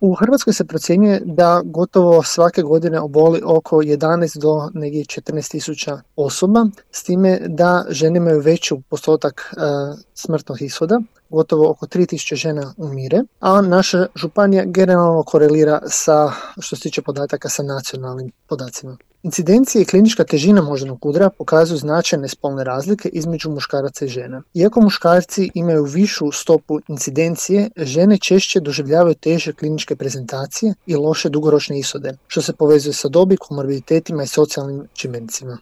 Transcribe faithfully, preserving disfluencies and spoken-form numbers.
U Hrvatskoj se procjenjuje da gotovo svake godine oboli oko jedanaest do negdje četrnaest tisuća osoba, s time da žene imaju veću postotak e, smrtnog ishoda, gotovo oko tri tisuće žena umire, a naša županija generalno korelira sa, što se tiče podataka, sa nacionalnim podacima. Incidencije i klinička težina moždanog udara pokazuju značajne spolne razlike između muškaraca i žena. Iako muškarci imaju višu stopu incidencije, žene češće doživljavaju teže kliničke prezentacije i loše dugoročne ishode, što se povezuje sa dobi, komorbiditetima i socijalnim čimbenicima.